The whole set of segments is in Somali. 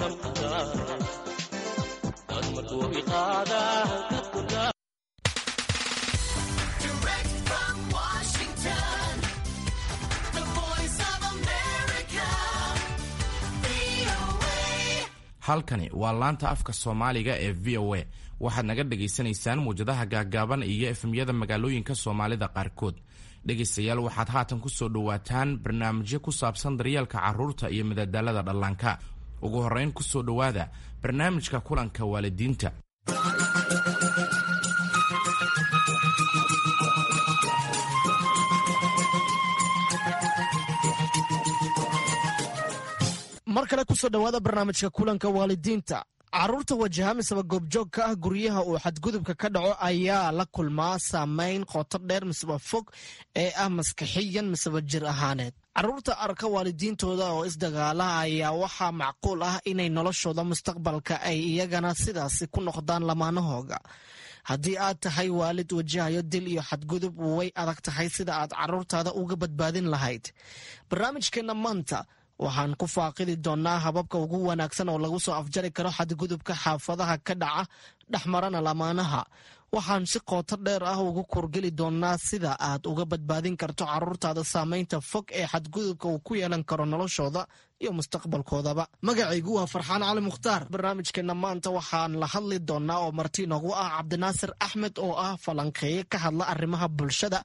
Damqadaa dad markuu iqaadaa ka kordhaa. Direct from Washington, the Voice of America, VOA. Halkani waa laanta afka Soomaaliga ee VOA. Waxaad naga dhagaysanaysaan muwjadaha gaaggaaban iyo FM-yada magaalooyinka Soomaalida qaarkood. Dhegaystayaal, waxaad haatan ku soo dhowaataan barnaamijyo ku saabsan daryeelka carruurta iyo madadaalada dhallaanka. Ugu horrayn, ku soo dhowaada barnaamijka kulanka waalidiinta. Mar kale kusoo dhowaada barnaamijka kulanka waalidiinta. Carruurta wajaha miseba goobjoog ka ah guryaha uu xadgudubka ka dhaco ayaa la kulmaa saameyn qoto dheer miseba fog ee ah maskaxiyan miseba jir ahaaneed. Carruurta arka waalidiintooda oo isdagaala ayaa waxaa macquul ah inay noloshooda mustaqbalka ay iyagana sidaasi ku noqdaan lamaanahooga. Haddii aad tahay waalid wajahayo dil iyo xadgudub, way adag tahay sida aad carruurtaada uga badbaadin lahayd. Barnaamijkeenna maanta waxaan ku faaqidi doonnaa hababka ugu wanaagsan oo lagu soo afjari karo xadgudubka xaafadaha ka dhaca dhexmarana lamaanaha. Waxaan si qooto dheer ah ugu kurgeli doonnaa sida aad uga badbaadin karto carruurtaada saameynta fog ee xadgudubka uu ku yeelan karo noloshooda iyo mustaqbalkoodaba. Magacaygu waa Farxaan Cali Mukhtaar. Barnaamijkeenna maanta waxaan la hadli doonnaa oo marti noogu ah Cabdinaasir Axmed oo ah falanqeeye ka hadla arrimaha bulshada,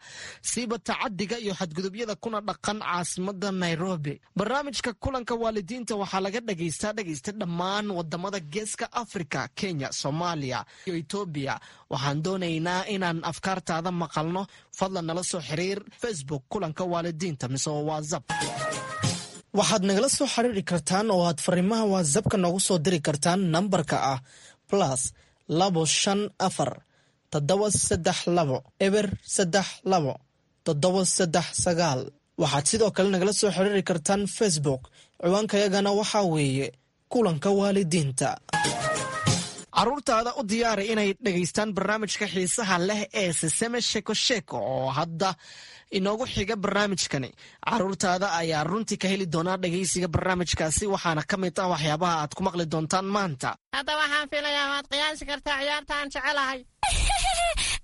siiba tacadiga iyo xadgudubyada, kuna dhaqan caasimada Nairobi. Barnaamijka kulanka waalidiinta waxaa laga dhagaystaa, dhegaysta, dhammaan wadamada Geeska Afrika, Kenya, Soomaaliya iyo Etoobiya. Waxaan doonaynaa inaan afkaartaada maqalno. Fadlan nala soo xiriir Facebook kulanka waalidiinta mise WhatsApp. Waxaad nagala soo xiriiri kartaan oo aad fariimaha WhatsAppka noogu soo diri kartaan nambarka ah +254 732 032 739. Waxaad sidoo kale nagala soo xiriiri kartaan Facebook. Ciwaankayagana waxaa weeye kulanka waalidiinta. Carruurtaada u diyaari inay dhegaystaan barnaamijka xiisaha leh ee Siseme Sheko Sheko oo hadda inoogu xiga barnaamijkani. Carruurtaada ayaa runtii ka heli doonaa dhegaysiga barnaamijkaasi, waxaana ka mid ah waxyaabaha aad ku maqli doontaan maanta. Hadda waxaan filayaa waad qiyaasi kartaa ciyaarta aan jecelahay.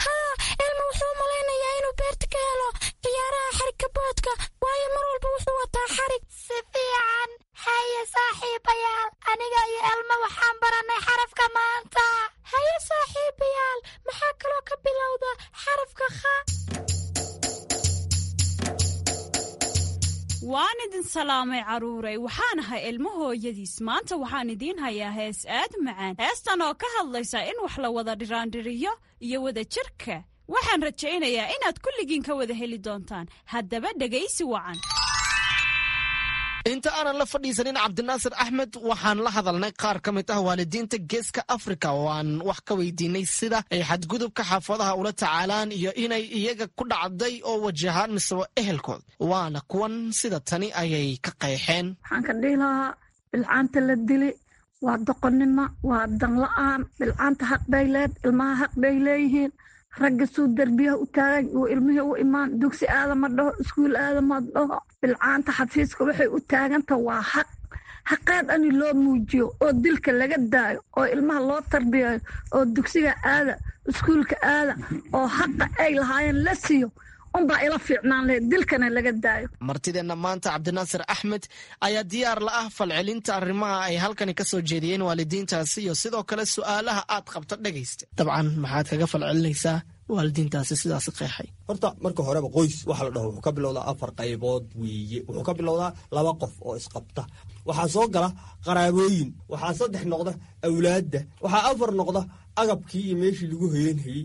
Haa, Elmo wuxuu malaynayaa inuu beerta ka helo ciyaaraha xarigka boodka, waayo mar walba wuxuu wataa xarig. Si fiican. Haye saaxiibayaal, aniga iyo Elmo waxaan barannay xarafka maanta. Haye saaxiibayaal, maxaa kaloo ka bilowda xarafka kha? Waan idin salaamay, carruuray. Waxaan ahay Ilmo hooyadiis. Maanta waxaan idiin hayaa hees aad macaan, heestan oo ka hadlaysa in wax la wada dhiraandhiriyo iyo wada jirka. Waxaan rajaynayaa inaad kulligiin ka wada heli doontaan. Haddaba dhegaysi wacan. Inta aanan la fadhiisanin Cabdinaasir Axmed, waxaan la hadalnay qaar ka mid ah waalidiinta Geeska Afrika oo aan wax ka weydiinay sida ay xadgudubka xaafadaha ula tacaalaan iyo inay iyaga ku dhacday oo wajahaan miseba ehelkood. Waana kuwan, sida tani ayay ka qeexeen. Waxaan ka dhihi lahaa, bilcaanta la dili waa doqonnimo, waa danla-aan. Bilcaanta xaq bay leed, ilmaha xaq bay leeyihiin. Ragga suu derbiyaha u taagan uu ilmihii u imaan, dugsi aadama dhaho, iskuul aadama dhaho. Bilcaanta xafiiska waxay u taaganta waa xaq, xaqeed ani loo muujiyo oo dilka laga daayo oo ilmaha loo tarbiyayo oo dugsiga aada, iskuulka aada, oo xaqa ay lahaayeen la siiyo unbaa ila fiicnaan lahayd, dilkana laga daayo. Martideenna maanta, Cabdinaasir Axmed, ayaa diyaar la ah falcelinta arrimaha ay halkani ka soo jeediyeen waalidiintaasi iyo sidoo kale su'aalaha aad qabto. Dhegaysta, dabcan maxaad kaga falcelinaysaa waalidiintaasi sidaasi qeexay? Horta marka horeba qoys waxa la dhaho wuxuu ka bilowdaa afar qaybood weeye. Wuxuu ka bilowdaa laba qof oo isqabta, waxaa soo gala qaraabooyin, waxaa saddex noqda awlaadda, waxaa afar noqda agabkii iyo meeshii lagu hoyanhayey.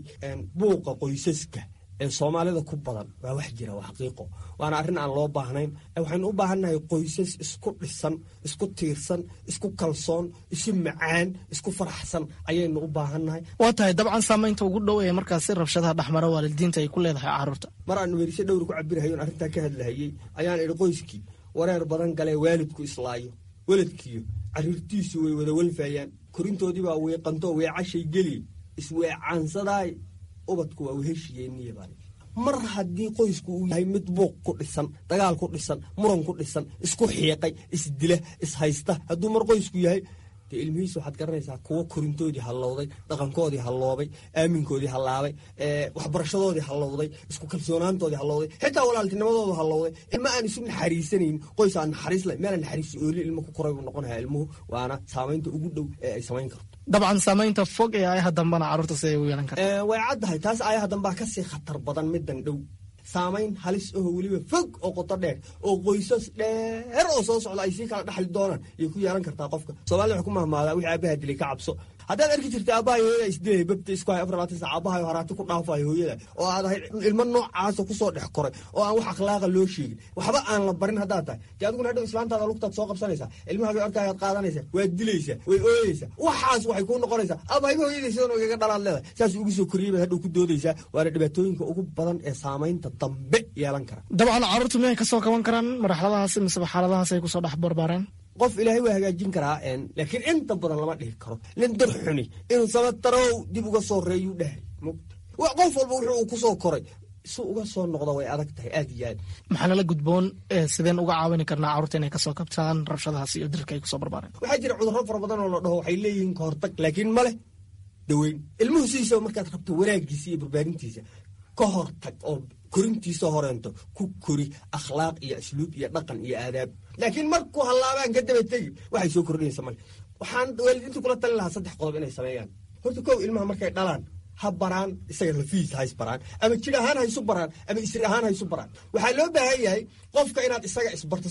Buuqa qoysaska ee Soomaalida ku badan waa wax jira, waa xaqiiqo, waana arrin aan loo baahnayn. Waxaynu u baahannahay qoysas isku dhisan, isku tiirsan, isku kalsoon, isu macaan, isku faraxsan ayaynu u baahannahay. Waa tahay. Dabcan saamaynta ugu dhow ee markaasi rabshadaha dhexmara waalidiinta ay ku leedahay carruurta. Mar aan werise dhowr ku cabirhayo on arrintaa ka hadlahayey ayaan idhi: qoyskii wareer badan galee, waalidku islaayo, weladkiyo carruurtiisu way wada walfayaan, korintoodii baa weeqanto, weecashay geli, isweecaansadaay, ubadku waa weheshiyeeniya baan. Mar haddii qoysku uu yahay mid buuq ku dhisan, dagaal ku dhisan, muran ku dhisan, isku xiiqay, isdila, ishaysta, hadduu mar qoysku yahay, Dee ilmihiisa waxaad garanaysaa kuwo korintoodii hallowday, dhaqankoodii halloobay, aaminkoodii hallaabay, waxbarashadoodii hallowday, isku kalsoonaantoodii hallowday, xitaa walaaltinimadoodu hallowday. Ilma aan isu naxariisanayn, qoys aan naxariis lahayn, meel aan naxariis oolin ilmo ku koray buu noqonayaa ilmuhu. Waana saamaynta ugu dhow ee ay samayn karto. Dabcan saamaynta fog ee aayaha dambana carruurta siday u yeelan karta? Way caddahay taas. Aayaha dambaa kasii khatar badan middan dhow. Saamayn halis aho weliba fog oo qoto dheer oo qoysas dheer oo soo socda ay sii kala dhaxli doonaan ayay ku yeelan kartaa qofka. Soomaalida waxay ku mahmaadaa, wixii aabaha dilay ka cabso. Haddaad arki jirta aabbahay hooyada isdilay, babta isku hay 24 saac, aabbahay haraati ku dhaafayo hooyada, oo aad ahayd ilmo noocaasa kusoo dhex koray oo aan wax akhlaaqa loo sheegin, waxba aan la barin haddaad tahay, dee adiguna hadhow islaantaada lugtaad soo qabsanaysaa, ilmahaagay arkaayaad qaadanaysaa, waad dilaysaa, way ooyeysaa. Waxaas waxay kuu noqonaysaa aabahayba hooyadii sidan igaga dhalaad leedahay, saas ugu soo koriyey baad hadhow ku doodaysaa. Waana dhibaatooyinka ugu badan ee saamaynta dambe yeelan kara. Dabcan carruurtu miyay kasoo kaban karaan marxaladahaas miseba xaaladahaas ay kusoo dhex barbaareen? Qof ilaahay waa hagaajin karaa, laakiin inta badan lama dhihi karo. Nin dar xuni inuu sabatarow dib uga soo reeyuu dhahay mugta. Qof walba wuxuu uu kusoo koray si uga soo noqda way adag tahay aad iyo aad. Maxaa nala gudboon? Sideen uga caawini karnaa carruurta inay kasoo kabtaan rabshadahaas iyo dilka ay kusoo barbaareen? Waxaa jira cudurro fara badan oo la dhaho waxay leeyihiin kahortag, laakiin ma leh daweyn. Ilmuhu sidiisaba markaad rabto wanaagiisa iyo barbaarintiisa, ka hortag oo korintiisa horeento ku kori akhlaaq iyo asluub iyo dhaqan iyo aadaab. Laakiin markuu hallaabaan ka daba tegi waxay soo kordhinaysa male. Waxaan waalidiinta kula talin lahaa saddex qodob inay sameeyaan. Horta kow, ilmaha markay dhalaan ha baraan isaga lafihiisa, ha isbaraan, ama jir ahaan ha isu baraan ama isir ahaan ha isu baraan. Waxaa loo baahan yahay qofka inaad isaga isbarto,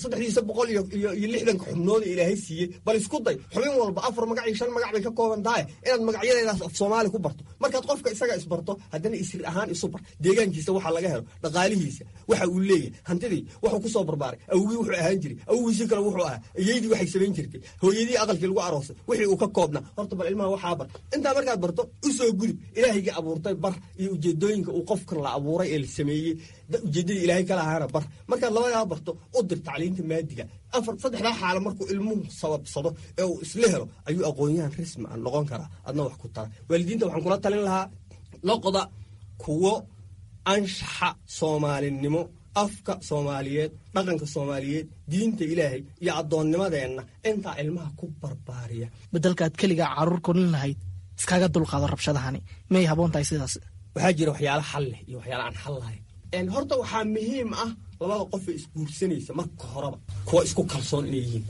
360-ka xubnood ee ilaahay siiyey. Bal isku day xubin walba afar magac iyo shan magac bay ka kooban tahay inaad magacyadeedaas af Soomaali ku barto. Markaad qofka isaga isbarto, haddana isir ahaan isu bar, deegaankiisa waxa laga helo, dhaqaalihiisa waxa uu leeyahay, hantidii wuxuu ku soo barbaaray, awgii wuxuu ahaan jiray, awgiisii kale wuxuu ahaa, iyaydii waxay samayn jirtay, hooyadii aqalkii lagu aroosay wixii uu ka koobnaa. Horta bal ilmaha waxaa bar. Intaa markaad barto, usoo gudub ilaahayga abuurtay bar iyo ujeedooyinka uu qofkan la abuuray ee la sameeyey, ujeedadii ilaahay kala ahaana bar. Markaad labadaa barto, u dir tacliinta maadiga. Afar saddexdaa xaalo markuu ilmuhu sababsado ee uu isla helo ayuu aqoon-yahan rasmi ah noqon karaa, adna wax ku tara. Waalidiinta waxaan kula talin lahaa, noqda kuwo anshaxa soomaalinimo, afka soomaaliyeed, dhaqanka soomaaliyeed, diinta ilaahay iyo addoonnimadeenna intaa ilmaha ku barbaariya. Bedelkaad keligaa carruur korin lahayd, iskaga dulqaado rabshadahani, miyay haboon tahay sidaas? Waxaa jira waxyaala xal leh iyo waxyaala aan xal lahayn. Horta waxaa muhiim ah labada qof ee isguursanaysa marka horeba kuwa isku kalsoon inay yihiin.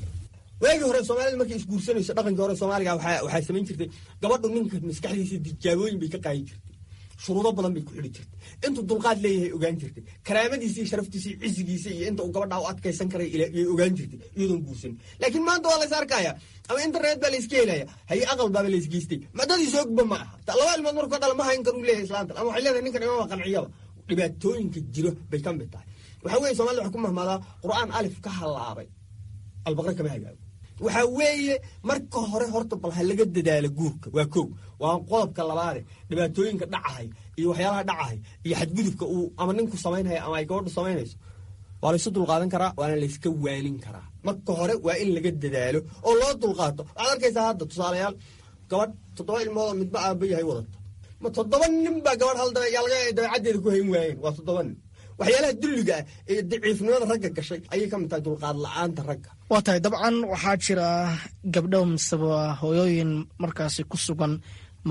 Waagii hore soomaalida markay isguursanayso, dhaqankii hore soomaaliga waxaa samayn jirtay gabadhu ninka maskaxdiisa tijaabooyin bay ka qaadi jirtay, shuruudo badan bay ku xidhi jirtay, intuu dulqaad leeyahay ogaan jirtay, karaamadiisa iyo sharaftiisa iyo cisigiisa iyo inta uu gabadhaa u adkaysan karay yay ogaan jirtay iyadoon guursanin. Laakiin maanta waa lays arkaya ama internet baa layska helaya, haye aqal baaba laysgeystay, madadiisa ogba ma aha. Laba ilmood markuu ka dhala ma hayn karuu leeyahay islaantan, ama waxay leedahay ninkan imama qanciyaba. Dhibaatooyinka jiro bay ka mid tahay. Waxaa weeye somalida waxay ku mahmaadaa, qur'aan alif ka halaabay albaqre kama hagaago. Waxaa weeye marka hore horta bal ha laga dadaalo guurka, waa kow. Waa qodobka labaade, dhibaatooyinka dhacahay iyo waxyaalaha dhacahay iyo xadgudubka uu ama ninku samaynhayo ama ay gabadhu samaynayso waa laysu dulqaadan karaa, waana layska waanin karaa. Marka hore waa in laga dadaalo oo loo dulqaato. Waxaad arkaysaa hadda tusaalayaal gabadh toddoba ilmood oo midba aaba yahay wadata. Ma toddoba nin baa gabadh hal dabeecaddeeda ku hayn waayeen? Waa toddoba nin. Waxyaalaha dulliga ah ee daciifnimada ragga gashay ayay ka mid tahay dulqaad la-aanta ragga. Waa tahay. Dabcan waxaa jira gabdho miseba hooyooyin markaasi ku sugan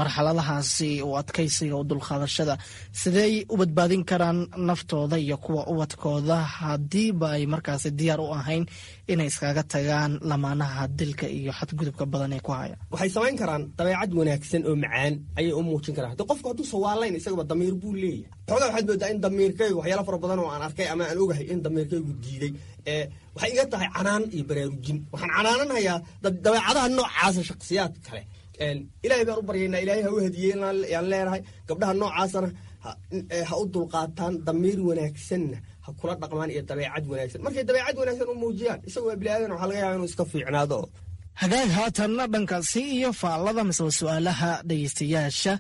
marxaladahaasi u adkaysiga u dulqaadashada. Sidey u badbaadin karaan naftooda iyo kuwa ubadkooda haddiiba ay markaasi diyaar u ahayn inay iskaga tagaan lamaanaha dilka iyo xadgudubka badan ee ku haya? Waxay samayn karaan dabeecad wanaagsan oo macaan ayay u muujin karaan. Hadi qofku hadduu sawaalayn isagaba damiir buu leeyahay. Xoogaa waxaad moodaa in damiirkaygu waxyaala fara badan oo aan arkay ama aan ogahay in damiirkaygu diiday. Waxay iga tahay canaan iyo baraarujin. Waxaan canaananhayaa dabeecadaha noocaasa shakhsiyaad kale. Ilaahay baan u baryaynaa, ilaahay ha u hadiyey yaan leenahay. Gabdhaha noocaasana ha u dulqaataan, damiir wanaagsanna ha kula dhaqmaan iyo dabeecad wanaagsan. Markay dabeecad wanaagsan u muujiyaan, isaga waa bini aadan, waxaa laga yaaba inuu iska fiicnaado. Hagaag, haatanna dhankaasi iyo faallada miseba su-aalaha dhegeystayaasha.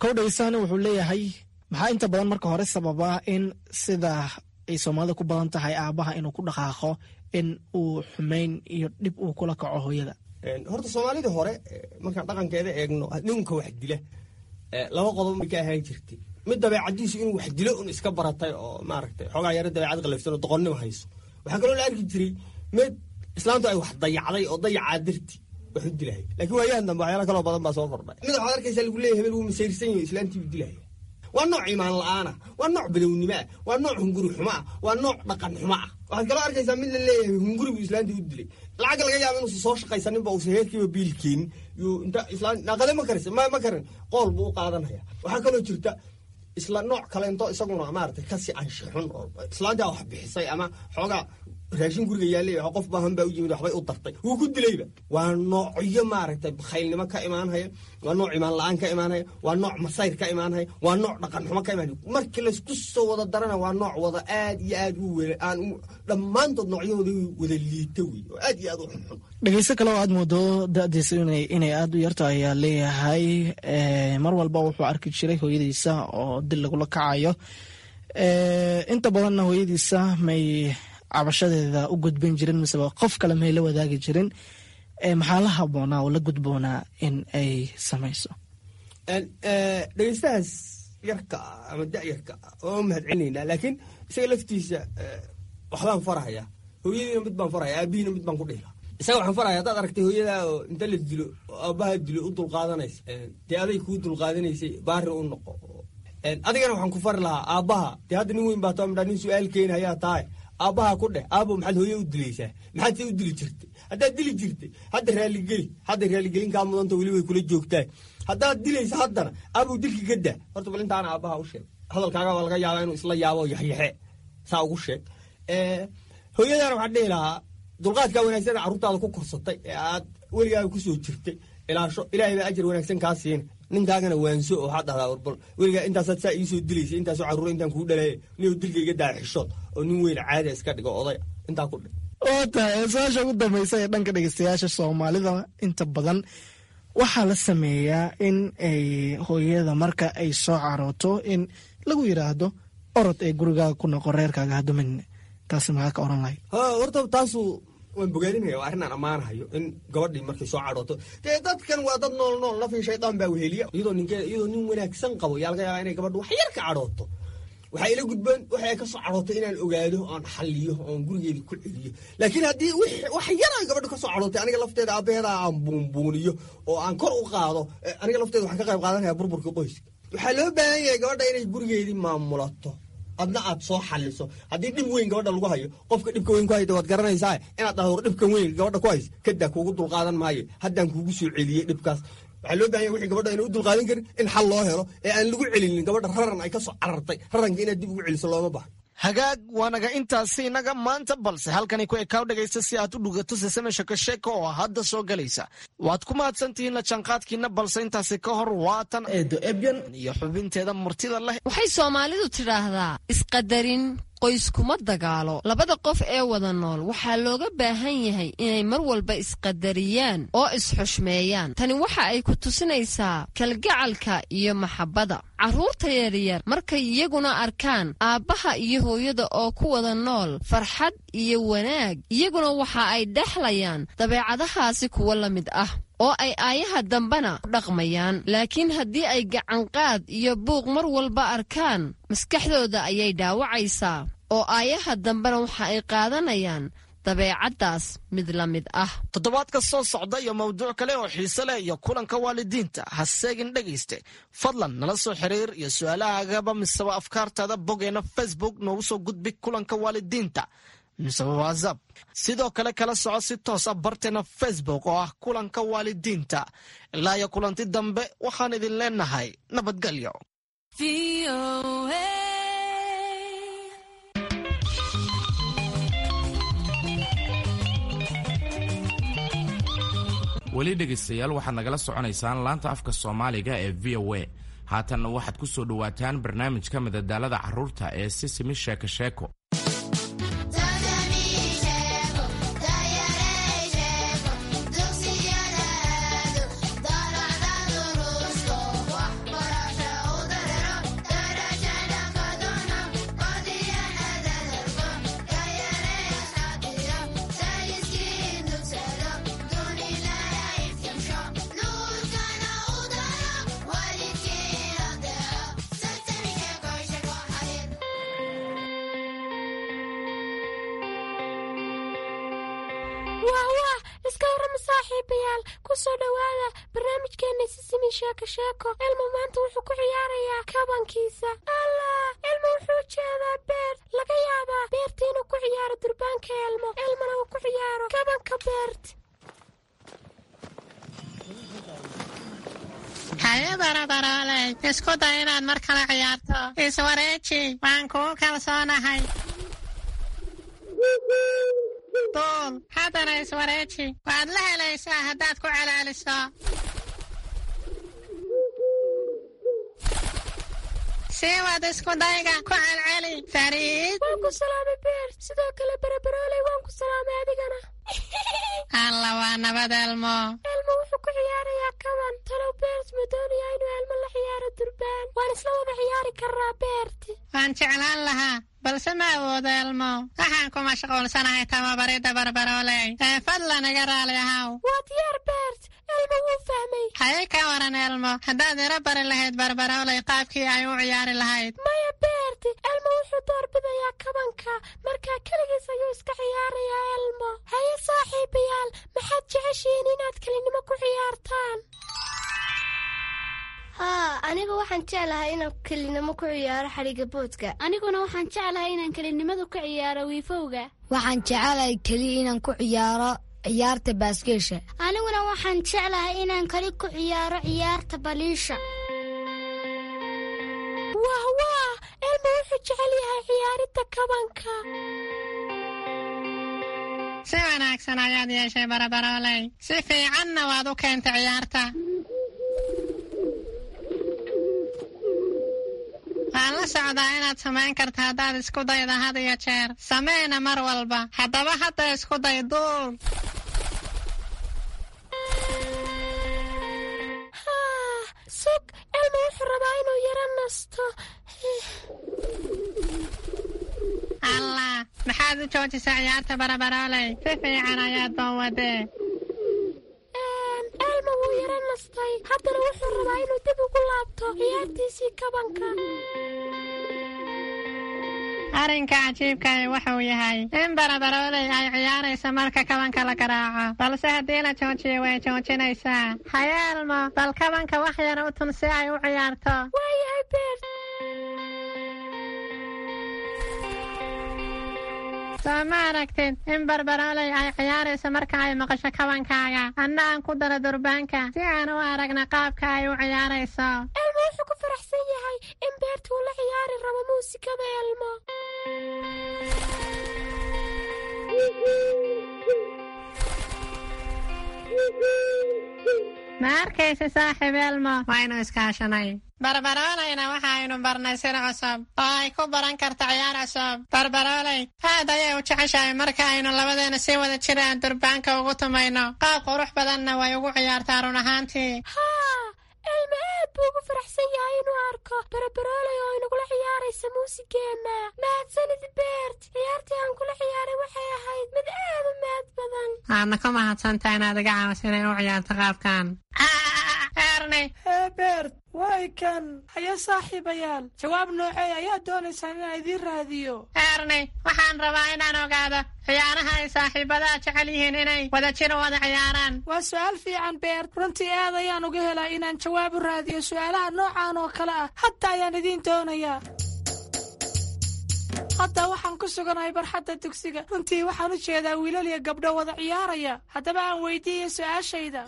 Kow dhegeystahan wuxuu leeyahay, maxaa inta badan marka hore sababa in sida ay soomaalida ku badan tahay aabaha inuu ku dhaqaaqo in uu xumeyn iyo dhib uu kula kaco hooyada? Horta soomaalidii hore markaan dhaqankeeda eegno, ninka wax dila laba qodob bay ka ahaan jirtay. Mid dabeecadiisu inuu wax dilo un iska baratay oo maaragtay xoogaa yaro dabeecad qalafsan oo doqonnimo hayso. Waxaa kaloo la arki jiray mid islaantu ay wax dayacday oo dayacaa darti wax u dilaya. Laakiin waayahan dambe waxyaala kaloo badan baa soo kordhay. Mid waxaad arkaysaa lagu leeyahay hebel wuu masayrsan yahay, islaantii buu dilaya. Waa nooc iimaan la'aana, waa nooc badownimo ah, waa nooc hunguri xumo ah, waa nooc dhaqan xumo ah. Waxaad kaloo arkaysaa mid la leeyahay hunguri buu islaantii u dilay. Lacag laga yaaba inuusan soo shaqaysaninba, uusan heerkiiba biil keenin, yuu inta islaan naqade ma karis ma karin, qool buu u qaadanaya. Waxaa kaloo jirta isla nooc kaleento isaguna maaragtay kasii anshixun, oo islaantaa wax bixisay ama xoogaa raashin guriga yaallay, wax qof baahan baa u yimid, waxbay u dartay, wuu ku dilayba. Waa noocyo maaragtay bakhaylnimo ka imaanhaya, waa nooc imaan la'aan ka imaanhaya, waa nooc masayr ka imaanhaya, waa nooc dhaqan xumo ka imaanhaya. Markii laysku soo wada darana waa nooc wada aad iyo aad u wada aan dhammaantood noocyahooda wada liita wey, oo aad iyo aad u xunxun. Dhegeysto kale oo aad moodo da'diisa inay aada u yarto ayaa leeyahay mar walba wuxuu arki jiray hooyadiisa oo dil lagula kacayo. Inta badanna hooyadiisa may cabashadeeda u gudbin jirin, miseba qof kale may la wadaagi jirin. Maxaa la haboonaa oo la gudboonaa in ay samayso? Dhegeystahaas yarka ah ama da'yarka ah waa u mahadcelinaynaa, laakiin isaga laftiisa waxbaan farahaya. Hooyadiina mid baan farahaya, aabihiina mid baan ku dhihi lahaa. Isaga waxaan farahaya, haddaad aragtay hooyadaa oo inta la dilo oo aabbaha dilo u dulqaadanaysa, dee aday kuu dulqaadanaysay, baari u noqo. Adigana waxaan ku fari lahaa aabbaha, dee hadda nin weyn baa too midhaa, nin su'aal keeni hayaa tahay, aabbaha ku dheh: aabo, maxaad hooye u dilaysaa? Maxaad se u dili jirtay? Haddaad dili jirtay, hadda raaligeli, hadda raaligelin kaa mudanta, weli way kula joogtaa. Haddaad dilaysa haddana, aabow, dilki ka daa horta. Bal intaana aabbaha u sheeg, hadalkaaga baa laga yaabaa inuu isla yaabo oo yaxyaxe saa ugu sheeg. Hooyadana waxaan dhihi lahaa, dulqaadkaa wanaagsan ee carruurtaada ku korsatay ee aad weligaaga ku soo jirtay ilaasho, ilaahay baa ajar wanaagsan kaa siina. Ninkaagana waanso oo waxaad dhahdaa: warbal weligaa intaasaad saa iisoo dilaysay, intaasoo carruura intaan kuu dhalaye, nin dilka iga daa, xishood oo nin weyn caada iska dhigo, oday intaa ku dhig. Waa tahay su-aasha ugu dambaysa ee dhanka dhegeystayaasha Soomaalida. Inta badan waxaa la sameeyaa in ay hooyada marka ay soo carooto in lagu yidhaahdo orod ee gurigaaga ku noqo, reerkaaga hadumin. Taasi maxaa ka oran lahayd? Horta taasu waan bogaadinaya, waa arrin aan ammaanahayo in gabadhii markay soo cadhooto, dee dadkan waa dad nool nool, nafii shaydaan baa weheliya. Iyadoo ninkeeda, iyadoo nin wanaagsan qabo, yaa laga yaabaa inay gabadhu wax yar ka cadhooto. Waxaa ila gudboon waxa ay ka soo cadhootay inaan ogaado oon xalliyo oon gurigeedii ku celiyo. Laakiin haddii wax yar ay gabadhu ka soo cadhootay, aniga lafteeda aabbaheeda aan buunbuuniyo oo aan kor u qaado, aniga lafteeda waxaan ka qayb qaadanaya burburka qoyska. Waxaa loo baahan yahay gabadha inay gurigeedii maamulato, adna aad soo xaliso. Haddii dhib weyn gabadha lagu hayo, qofka dhibka weyn ku hayda waad garanaysaa, inaad dhahdo: war, dhibkan weyn gabadha ku hays kadaa, kuugu dulqaadan maayo, haddaan kuugu soo celiyey dhibkaas. Waxaa loo bahan yahay wixii gabadha ayna u dulqaadan karin in xal loo helo ee aan lagu celinin gabadha raran ay ka soo carartay. Raranka inaad dib ugu celiso looma baahno. Hagaag, waa naga intaasi inaga maanta, balse halkani ku ekaaw dhegaysta si aad u dhugato Sesame Sheko Sheeko oo hadda soo galaysa. Waad ku mahadsantihiin la jaanqaadkiina, balse intaasi ka hor waatan Eedo Ebyan iyo xubinteeda murtida leh. Waxay Soomaalidu tidhaahdaa isqadarin qoyskuma dagaalo. Labada qof ee wada nool waxaa looga baahan yahay inay mar walba isqadariyaan oo isxushmeeyaan. Tani waxa ay ku tusinaysaa kalgacalka iyo maxabbada. Carruurta yaryar markay iyaguna arkaan aabbaha iyo hooyada oo ku wada nool farxad iyo wanaag, iyaguna waxa ay dhexlayaan dabeecadahaasi kuwo la mid ah oo ay aayaha dambena ku dhaqmayaan. Laakiin haddii ay gacanqaad iyo buuq mar walba arkaan, maskaxdooda ayay dhaawacaysaa oo aayaha dambena waxa ay qaadanayaan dabeecaddaas mid la mid ah. Toddobaadka soo socda iyo mawduuc kale oo xiise leh iyo kulanka waalidiinta ha seegin. Dhegayste, fadlan nala soo xiriir iyo su-aalahaagaba miseba afkaartaada boggeena Facebook noogu soo gudbi kulanka waalidiinta miseba WhatsApp. Sidoo kale kala soco si toos ah barteena Facebook oo ah kulanka waalidiinta. Ilaa iyo kulanti dambe, waxaan idin leenahay nabadgelyo. Weli dhegaystayaal, waxaad nagala soconaysaan laanta afka Soomaaliga ee VOA. Haatanna waxaad ku soo dhowaataan barnaamijka madadaalada carruurta ee Sisimi Sheeko Sheeko. Ku soo dhowaada barnaamijkeena Sisimi Sheeko Sheeko. Elmo maanta wuxuu ku ciyaarayaa kabankiisa. Allah, Elmo wuxuu jeedaa Beert. Laga yaabaa Beert inuu ku ciyaaro durbaanka Elmo, Elmona uu ku ciyaaro kabanka Beert. Haye Barabarooley, isku day inaad mar kale ciyaarto. Iswareeji, waan kugu kalsoonahay. Duul, haddana iswareeji. Waad la helaysaa haddaad ku celaaliso. Sii wad isku dayga, ku celceli, Fariid. Waan ku salaamay Beert, sidoo kale Barabarooley waan ku salaamay adigana. Alla, waa nabad Elmo. Elmo wuxuu ku ciyaarayaa kaban. Talow Beert ma doonayaa inuu Elmo la ciyaaro durbaan? Waan isla wada ciyaari karraa Beert. Waan jeclaan lahaa, balse ma awoodo Elmo. Waxaan ku mashquulsanahay tababaridda Barbarooley. Ee fadlan iga raali ahaw. Waa diyaar Beert, Elmo wuu fahmay. Haye, ka waran Elmo, haddaad ira bari lahayd Barbarooley qaabkii ay u ciyaari lahayd? Maya Beert, Elmo wuxuu doorbidayaa kabanka, markaa keligiis ayuu iska ciyaarayaa Elmo. Haye saaxiibayaal, maxaad jeceshihiin inaad kelinimo ku ciyaartaan? Haa, anigu waxaan jeclahay inaan kelinimo ku ciyaaro xadhigga boodka. Aniguna waxaan jeclahay inaan kelinimadu ku ciyaaro wiifowga. Waxaan jecelahay keliya inaan ku ciyaaro ciyaarta baaskeesha. Aniguna waxaan jeclahay inaan keli ku ciyaaro ciyaarta baliisha. Wah wah, Elmo wuxuu jecel yahay ciyaaridda kabanka. Si wanaagsan ayaad yeeshay Barabarooley. Si fiicanna waad u keentay ciyaarta. Waan la socdaa inaad samayn karto haddaad isku dayda had iyo jeer. Sameena mar walba. Haddaba hadda isku day, duul. Haa, sug, Elmo wuxuu rabaa inuu yaro nasto. Allah, maxaad u joojisay ciyaarta Barabarooley? Si fiican ayaad baan wadee. Elmo wuu yaro nastay, haddana wuxuu rabaa inuu dib ugu laabto ciyaartiisii kabanka. Arrinka cajiibkahi wuxuu yahay in Barabarooley ay ciyaarayso marka kabanka la garaaco, balse haddii la joojiyo way joojinaysaa. Haye Elmo, bal kabanka wax yar u tun si ay u ciyaarto. Waayahay Beert. Soo ma aragtid in Barbarooley ay ciyaarayso marka ay maqasho kabankaaga? Anna aan ku daro durbaanka si aan u aragna qaabka ay u ciyaarayso. Elmo wuxuu ku faraxsan yahay in Beert uu la ciyaari rabo muusikada Elmo. Ma arkaysa saaxiib Elmo, waynu iskaashanay. Barbarooleyna waxaynu barnay sir cusub oo ay ku baran karto ciyaar cusub. Barbarooley aad ayay u jeceshahay marka aynu labadeena si wada jir aan durbaanka ugu tumayno. Qaab qurux badanna way ugu ciyaartaa run ahaantii. Haa, Elmo aad buu ugu faraxsan yahay inuu arko Barabarooley oo inagula ciyaaraysa muusigeenna. Mahadsanid Beert, ciyaartii aan kula ciyaaray waxay ahayd mid aad u mahad badan. Waadna ku mahadsantahay inaad iga caawiso inay u ciyaarto qaabkan. Erni. Hee Beert, way kan. Haye saaxiibayaal, jawaab noocee ayaa doonaysaan inaan idiin raadiyo? Erni, waxaan rabaa inaan ogaado ciyaaraha ay saaxiibadaha jecel yihiin inay wada jir wada ciyaaraan. Waa su'aal fiican Beert, runtii aad ayaan uga helaa inaan jawaab u raadiyo su'aalaha noocan oo kale ah. Hadda ayaan idiin doonayaa. Hadda waxaan ku suganahay barxadda dugsiga. Runtii waxaan u jeedaa wiilal iyo gabdho wada ciyaaraya. Haddaba aan weydiiyo su'aashayda.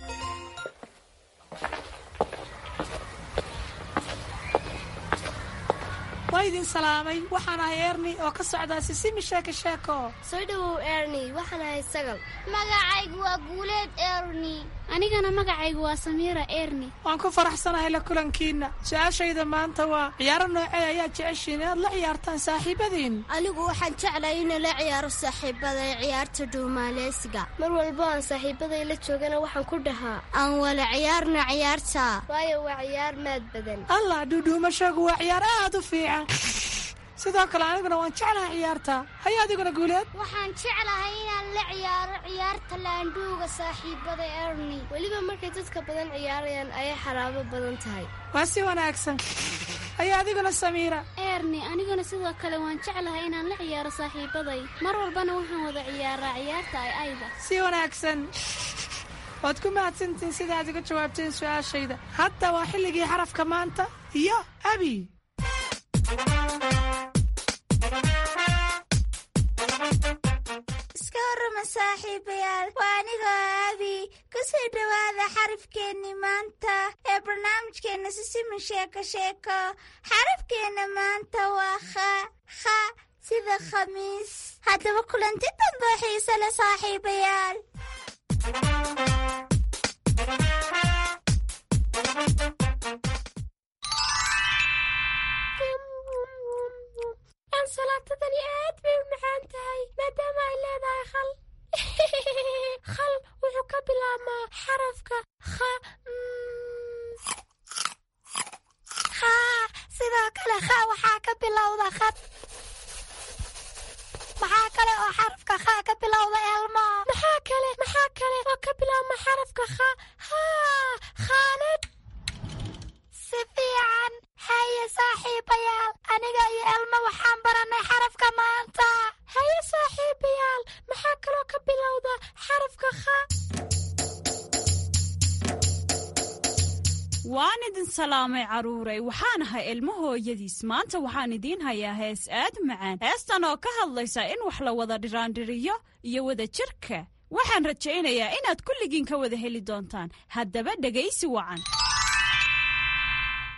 Waa idin salaamay, waxaan ahay Erni oo ka socdaa Sisimi Sheeko Sheeko. Soo dhowow Erni, waxaan ahay Sagal. Magacaygu waa Guuleed Erni. Anigana magacaygu waa Samiira Erni. Waan ku faraxsanahay la kulankiinna. Su-aashayda maanta waa ciyaaro noocee ayaa jeceshiin inaad la ciyaartaan saaxiibadiin? Anigu waxaan jeclahay inaan la ciyaaro saaxiibaday ciyaarta dhuumaaleysiga. Mar walbo aan saaxiibaday la joogana waxaan ku dhahaa aan wala ciyaarna ciyaarta, waayo waa ciyaar maad badan. Allah, dhuudhuumashagu waa ciyaar aad u fiican. Sidoo kale aniguna waan jeclahay ciyaarta. Haye adiguna Guuleed? Waxaan jeclahay inaan la ciyaaro ciyaarta laandhuuga saaxiibada Erni. Weliba markay dadka badan ciyaarayaan ayay xaraabo badan tahay. Waa si wanaagsan. Haye adiguna Samiira? Erni, aniguna sidoo kale waan jeclahay inaan la ciyaaro saaxiibaday. Mar walbana waxaan wada ciyaaraa ciyaarta ay ayda. Si wanaagsan. Waad ku mahadsantihiin sida aad iga jawaabteen su-aashayda. Hadda waa xilligii xarafka maanta iyo Abi. Iska warrama saaxiibayaal, waa anigoo Abi. Kusoo dhowaada xarafkeenni maanta ee barnaamijkeenna Sisimin Sheeko Sheeko. Xarafkeenna maanta waa kha, kha sida khamiis. Haddaba kulanti dambe oo xiise leh saaxiibayaal. Ansalaatadani aad bay u macaan tahay maadaama ay leedahay khal. Khal wuxuu ka bilaabmaa xarafka kha. Haa, sidoo kale kha waxaa ka bilowda khad. Maxaa kale oo xarafka kha ka bilowda, Elmo? Maxaa kale oo ka bilaabma xarafka kha? Haa, khaalad. Si fiican. Haye saaxiibayaal, aniga iyo Elmo waxaan barannay xarafka maanta. Haye saaxiibayaal, maxaa kaloo ka bilowda xarafka kha? Waan idin salaamay carruuray, waxaan ahay Ilmo hooyadiis. Maanta waxaan idiin hayaa hees aad u macaan, heestan oo ka hadlaysa in wax la wada dhiraandhiriyo iyo wada jirka. Waxaan rajaynayaa inaad kulligiin ka wada heli doontaan. Haddaba dhegaysi wacan.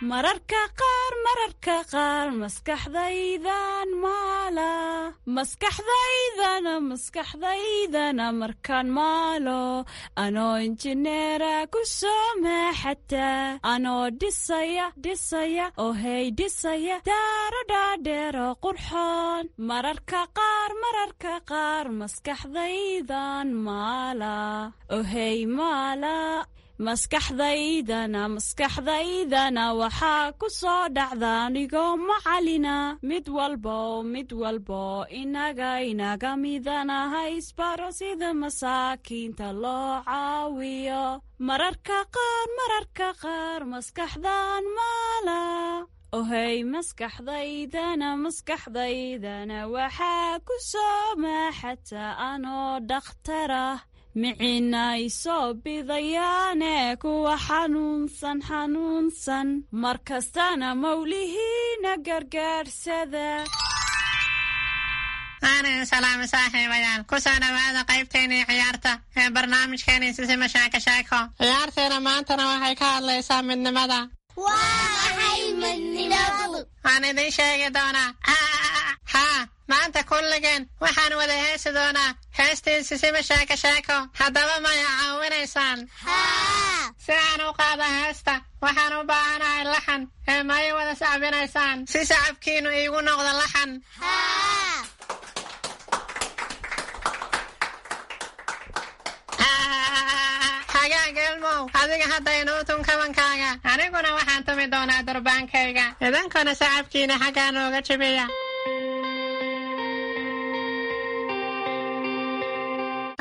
Mararka qaar, mararka qaar, maskaxdaydan maala, maskaxdaydana, maskaxdaydana markaan maalo, anoo injineera ku soo maaxata, anoo dhisaya, dhisaya, oo hey, dhisaya daaro dhaadheero qurxoon. Mararka qaar, mararka qaar, maskaxdaydan maala, oo hey, maala, maskaxdaydana, maskaxdaydana waxaa ku soo dhacda anigoo macalina. Mid walbo, mid walbo inaga midanaha isbaro sida masaakiinta loo caawiyo. Mararka qaar, mararka qaar, maskaxdan maala, ohey, maskaxdaydana, maskaxdaydana waxaa ku soo maaxata anoo dhakhtarah, micina isoo bidayaane kuwa xanuunsan, xanuunsan, mar kastana mawlihiina gargaarsada. Aanan salaamo saaxiibayaal, ku soo dhowaada qaybteennii ciyaarta ee barnaamijkeenii Sisima Sheeko Sheeko. Ciyaarteena maantana waxay ka hadlaysaa midnimada. Waa maxay midnimadu? Waan idiin sheegi doonaa. Haa, maanta kulligeen waxaan wada heesi doonaa heestii Sisima Sheeko Sheeko. Haddaba maya caawinaysaan? Si aan u qaado heesta waxaan u baahanahay laxan, ee may wada sacbinaysaan si sacabkiinnu iigu noqdo laxan? Hagaag Elmow, adiga hadda inuu tun kabankaaga, aniguna waxaan tumi doonaa durbaankayga, idinkuna sacabkiina xaggaa nooga jibiya.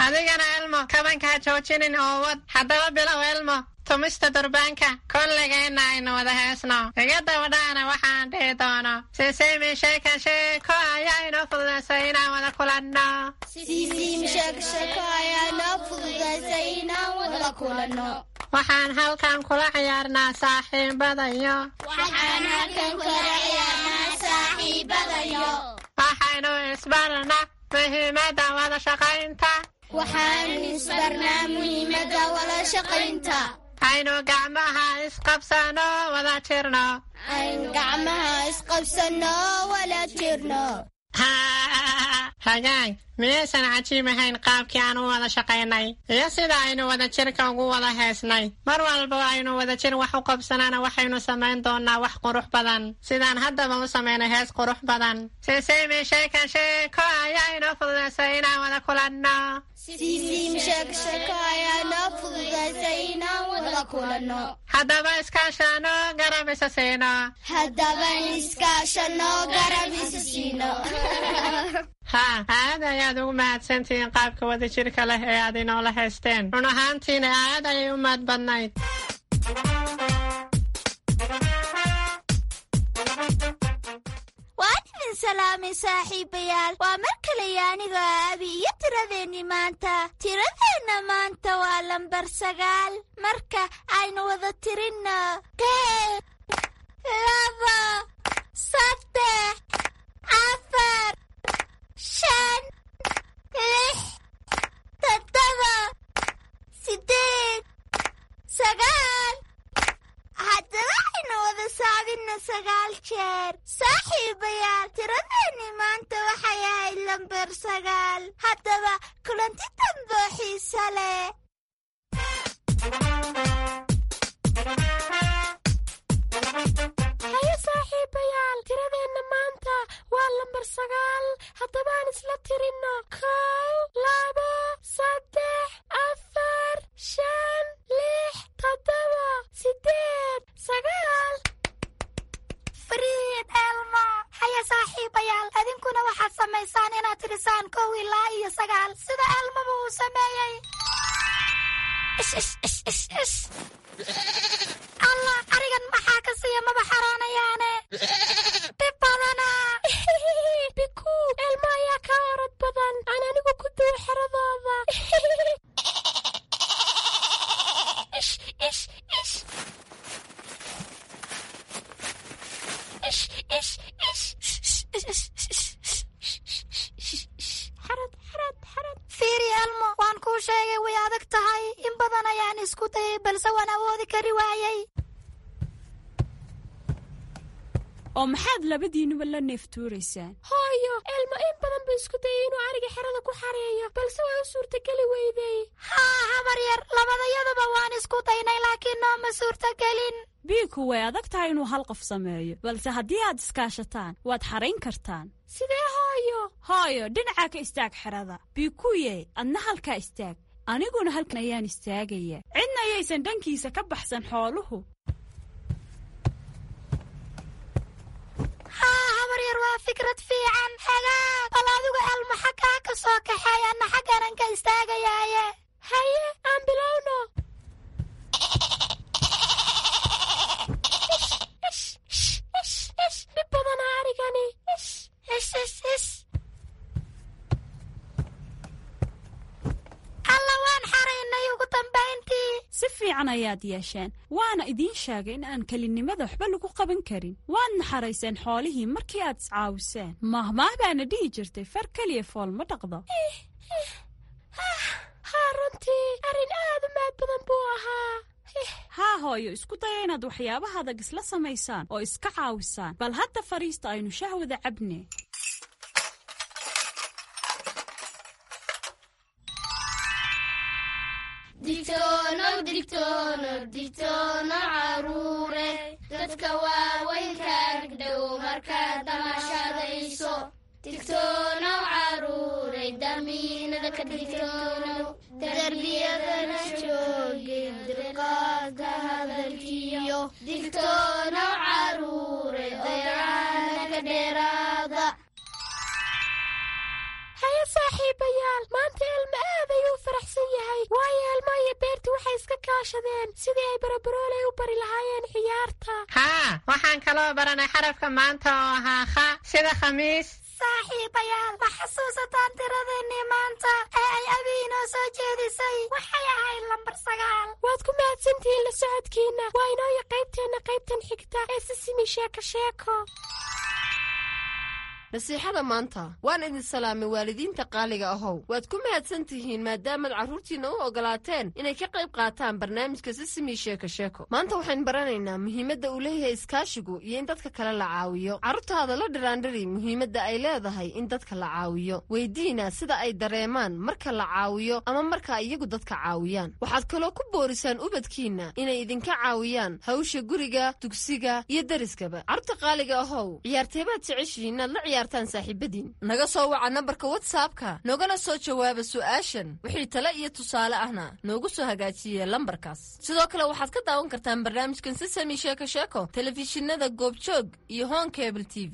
Adigana Elmo, kabanka ha joojinin oo wad. Haddaba bilow Elmo tumista durbaanka. Kolligeenna aynu wada heesno, iga dabadhaana waxaan dhihi doono: Sisimi Sheeka Sheeko ayaa inoo fududaysay inaan wada kulanno. Sisiimi Sheeko Sheeko ayaa inoo fududaysay inaan wada kulanno. Waxaan halkan kula ciyaarnaa saaxiibadayo. Waxaan halkan kula ciyaarnaa saaxiibadayo. Waxaynu isbarnaa muhiimadda wada shaqaynta. Waxaan isbarnaa muhiimadda wada shaqaynta. Aynu gacmaha isqabsano, wada jirno. Aynu gacmaha isqabsano, wada jirno. Hagaag, miyaysan cajiib ahayn qaabkii aan u wada shaqaynay iyo sida aynu wada jirka ugu wada heesnay? Mar walba aynu wada jir wax u qabsanana waxaynu samayn doonaa wax qurux badan, sidaan haddaba u samaynay hees qurux badan. Sisimi Sheeka Sheeko ayaa inoo fududaysay inaan wada kulanno. Sisiimi Sheeko Sheeko ayaa inoo fududaysay inaan wada kulanno. Haddaba iskaashano, garab isa siino. Haddaba iskaashano, garab isa siino. Haa, aad ayaad ugu mahadsantihiin qaabka wadajirka leh ee aad inoola haysteen. Run ahaantiina aad ayay u mahad badnayd. Waan idin salaamay saaxiibayaal. Waa mar kaleyo anigoo Abi iyo tiradeenni maanta. Tiradeenna maanta waa lambar 9. Marka aynu wada tirinno: 1, 2, 3, 4, 5, 6, 7, 8, 9. Haddaba aynu wada saabinna 9 jeer. Saaxiibayaal, tiradeenni maanta waxay ahayd lambar 9. Haddaba kulanti damboo xiisa leh. Haye saaxiibayaal, tiradeenna maanta waa lambar 9. Haddaba aan isla tirinno: 1, 2, 3, 4, 5, 6, 7, 8, 9. Fariid Elmo. Haya saaxiibayaal, adinkuna waxaad samaysaan inaad tirisaan 1 ilaa iyo 9 sida Elmoba uu sameeyey. Ish ish ish ish ish. Allah, arigan maxaa ka siiya? Maba xaroonayaane. Dhib badana. Biku, Elmo ayaa kaa orod badan. Aan anigu ku duwo xeradooda. Ish ish ish. Ish ish ish. Xarad xarad xarad. Fiiri Elmo, waan kuu sheegay way adag tahay. In badan ayaan isku dayay balse waan awoodi kari waayey. Oo maxaad labadiinuba la neeftuuraysaan? Hooyo, Elmo in badan buu isku dayay inuu ariga xerada ku xareeyo, balse waa u suurtageli weydey. Haa habar yar, labadayaduba waan isku daynay laakiin nooma suurtagelin. Biiku way adag tahay inuu hal qof sameeyo, balse haddii aad iskaashataan waad xarayn kartaan. Sidee hooyo? Hooyo, dhinacaa ka istaag xerada. Biikuye, adna halkaa istaag, aniguna halkan ayaan istaagaya. Cidna ayaysan dhankiisa ka baxsan xooluhu. Haa habar yar, waa fikrad fiican. Hagaag, bal adigu Elmo xaggaa ka soo kaxeey, anna xaggaanan ka istaagayaaye. Haye, aan bilowno. Ish ish ish ish. Dhib badanaa arigani. Ish ish ish ish. Alla, waan xaraynay ugu dambayntii. Si fiican ayaad yeesheen, waana idiin sheegay in aan kelinimada waxba lagu qaban karin. Waadna xarayseen xoolihii markii aad iscaawiseen. Mahmaah baana dhihi jirtay, far keliya fool ma dhaqdo. Haa runtii, arrin aad u maad badan buu ahaa. Haa hooyo, isku daya inaad waxyaabaha adag isla samaysaan oo iska caawisaan. Bal hadda fadhiista, aynu shahwada cabne. Digtoonow, digtoonow, digtoonow caruure, dadka waaweynka agdhow markaad damashadayso. Digtoonow caruure, damiinada ka digtoonow, darbiyadana joogin dulqaadka hadalkiyo. Digtoonow caruure, dayacaana ka dheeraada. Haye saaxiibayaal, maanta Elmo aad ayuu u faraxsan yahay, waayo Elmo iyo Beerti waxay iska kaashadeen sidii ay Barabarooley u bari lahaayeen ciyaarta. Haa, waxaan kaloo baranay xarafka maanta oo ahaa kha, sida khamiis. Saaxiibayaal, ma xasuusataan tiradeennii maanta ee ay Abi inoo soo jeedisay? Waxay ahayd lambar 9. Waad ku mahadsantihiin la socodkiinna. Waa inooya qaybteenna qaybtan xigta ee Sisimi Sheeko Sheeko. Nasiixada maanta. Waan idin salaamay waalidiinta qaaliga ahow. Waad ku mahadsan tihiin maadaamaad carruurtiinna u ogolaateen inay ka qayb qaataan barnaamijka Sisimi Sheeko Sheeko. Maanta waxaan baranaynaa muhiimadda uu leeyahay iskaashigu iyo in dadka kale la caawiyo. Carruurtaada la dhiraandhiri muhiimadda ay leedahay in dadka la caawiyo. Weydiina sida ay dareemaan marka la caawiyo ama marka iyagu dadka caawiyaan. Waxaad kaloo ku boorisaan ubadkiinna inay idinka caawiyaan hawsha guriga, dugsiga iyo deriskaba. Carruurta qaaliga ahow, ciyaarteebaad jeceshihiin inaad la ciyaartaan saaxiibadiin? Naga soo waca nambarka WhatsAppka, noogana soo jawaaba su'aashan. Wixii tale iyo tusaale ahna noogu soo hagaajiye lambarkaas. Sidoo kale waxaad ka daawan kartaan barnaamijkan Sisami Sheeko Sheeko telefishinada Goobjoog iyo Hon Cable TV.